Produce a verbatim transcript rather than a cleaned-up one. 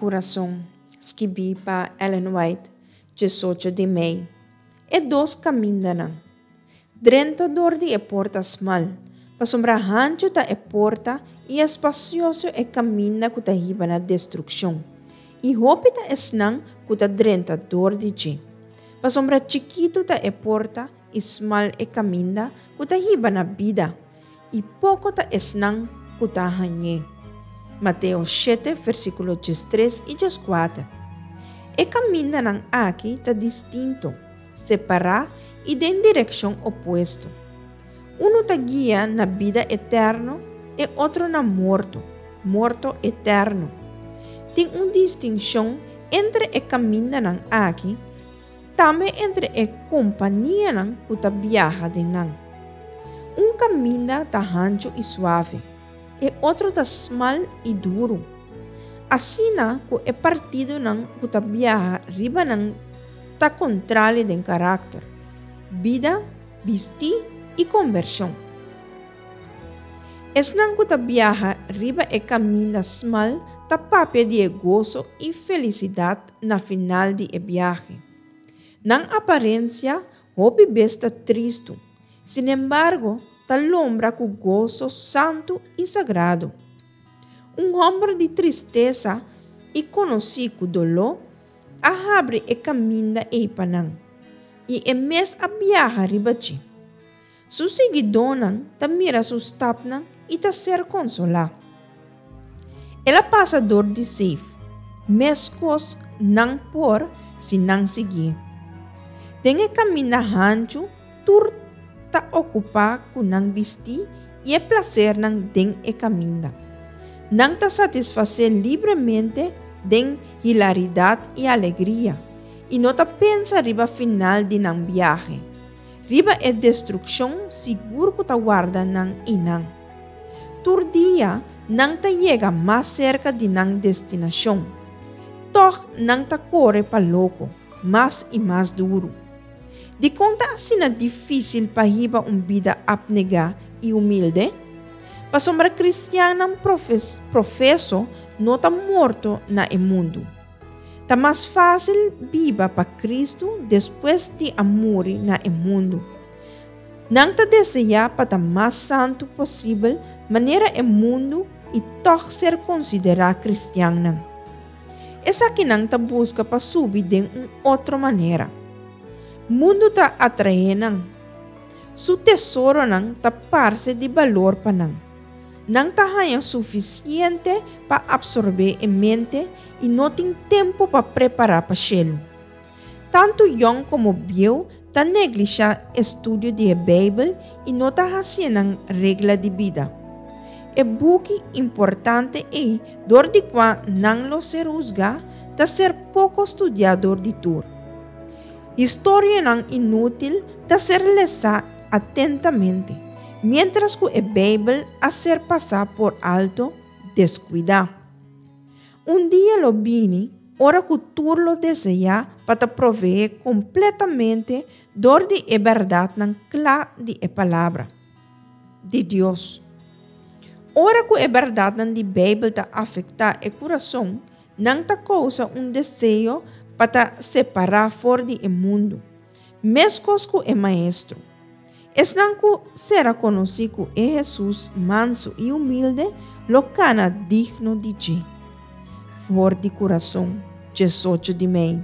Kurason, skibí pa Ellen White, diesocho di mei. E dos kamindanan. Drenta dor di e porta smal, pasobra hanchu ta e porta i espasioso e kaminda ku ta hiba na destrukshon, i hopi ta esnan ku ta drenta dor di dje. Pasobra chikitu ta e porta i smal e kaminda ku ta hiba na bida, i poko ta esnan ku ta hañ'é. Mateo shete, versíkulo diestres i dieskuater. E kamindanan aki ta distinto, separá i den direkshon opuesto. Unu ta guia na bida eterno, e otro na morto, morto eterno. Tin un distinshon entre e kamindanan aki, tambe entre e kompanianan ku ta biaha den nan. Un kaminda ta hanchu i suave, e otro ta smal i duru. Asina ku e partidonan ku ta biaha riba nan ta kontrali den karakter, bida, bistí i kombershon. Esnan ku ta biaha riba e kaminda smal ta papia di e goso i felisidat na final di e biahe. Nan aparensia hopi bes ta tristu, sinembargo ta lombra ku goso santu i sagrado. Un hòmber di tristesa i konosí ku doló a habri e kaminda ei pa nan, i e mes a biaha riba dje. Su siguidónan ta mira su stapnan i ta ser konsolá. El a pasa dor di seif, meskos nan por si nan siguié. Den e kaminda hanchu tur ta okupá ku nan bistí i e plasernan den e kaminda. Nan ta satisfasé libremente den hilaridat i alegria i no ta pensa riba final di nan biahe, riba e destrukshon sigur ku ta warda nan einan. Tur dia nan ta yega mas serka di nan destinashon. Tòg nan ta kore pa loko, mas i mas duru. Dikon ta asina difísil pa hiba un bida apnegá i humilde? Pasobra kristiannan profeso no ta morto na e mundu. Ta mas fásil biba pa Kristu despues di a muri na e mundu. Nan ta deseá pa ta mas santu posibel manera e mundu i tòg ser konsiderá kristiannan. Esakinan ta buska pa subi den un otro manera. Mundu ta atraé nan. Su tesoronan ta parse di balor pa nan. Nan ta haña sufisiente pa apsorbé e mente i no tin tempu pa prepará pa shelu. Tantu yòn komo bieu ta neglishá estudio di e Beibel i no ta hasié nan regla di bida. E buki importante ei dor di kua nan lo ser husgá ta ser poko studiá dor di tur. Historianan inútil ta ser lesá atentamente, miéntras ku e Beibel a ser pasá por alto, deskuidá. Un dia lo bini ora ku tur lo deseá pa ta proveé kompletamente dor di e bèrdatnan kla di e Palabra di Dios. Ora ku e bèrdatnan di Beibel ta afektá e kurason, nan ta kousa un deseo pa ta separá for di e mundu, meskos ku e Maestro. Esnan ku sera konosí ku e Hesus mansu i humilde lo kana digno di dje. For di kurason, diesocho di mei.